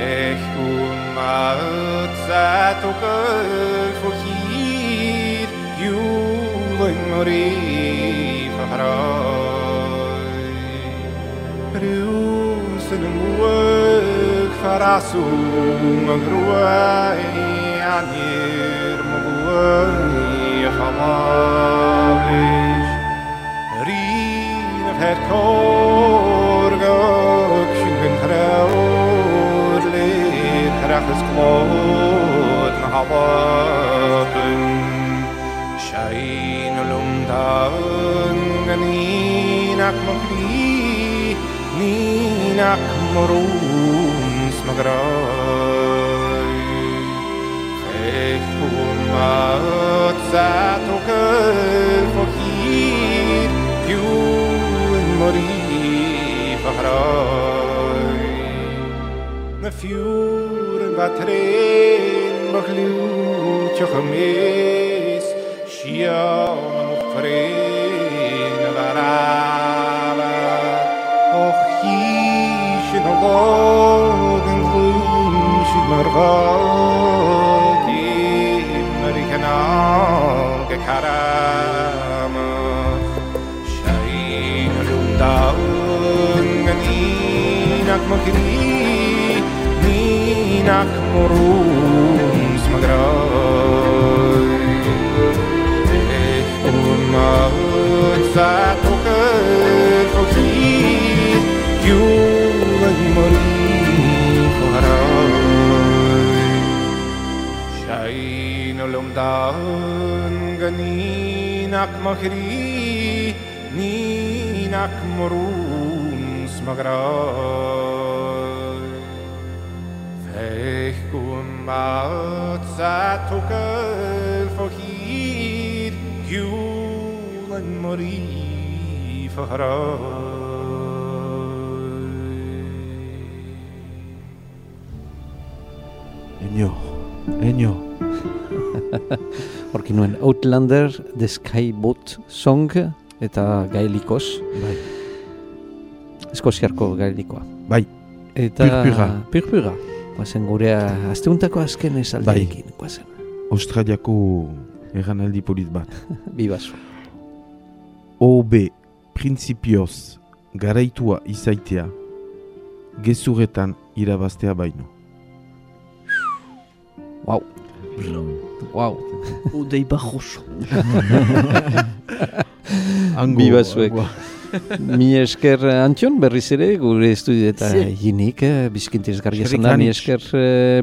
echun matzatokel fochid julen mori fachrai rusen mueg farasu magruai anir muguai chamablish rin of het korgok shingen traur leed rachas klot na hawaken shain ulum daun ninak mochri ninak morun smagrai fech umat zatokel fochid julen mori fachrai na fjuren batren bachlut jochemes shiam ufren varava och hishin alogen glunshid marvat imerikanal gekarama shain lundaun ninak mochri ninak morun smagrai umat zatokel fochid julen mori fachrai shain ulum daun ninak mochri ninak morun smagrai fech umat zatokel fochid julen mori fachrai Enyo. Horki nuen Outlander, The Skyboat Song, eta gaelikoz. Bai. Eskoziarko gaelikoa. Bai. Eta Purpura. Guazen gurea, azteuntako azken esaldeekin. Guazen. Australiako erranaldi polit bat. Bibazu. OB printzipioz garaitua izaitea gezuretan irabaztea baino. Wow. Wow. Odei bajoso. Bibazuek. Mi esker Antion, berriz ere, gure estudieta hinik, bizkintiz garria zanda, mi esker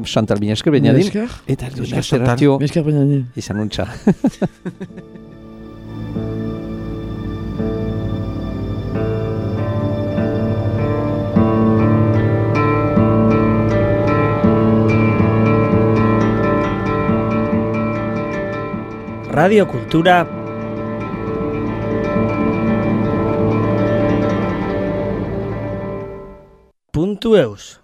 Chantal, mi esker Beñadin. Eta duen asteratio. Mi esker Beñadin. Izan untxa. Radio Kultura .eus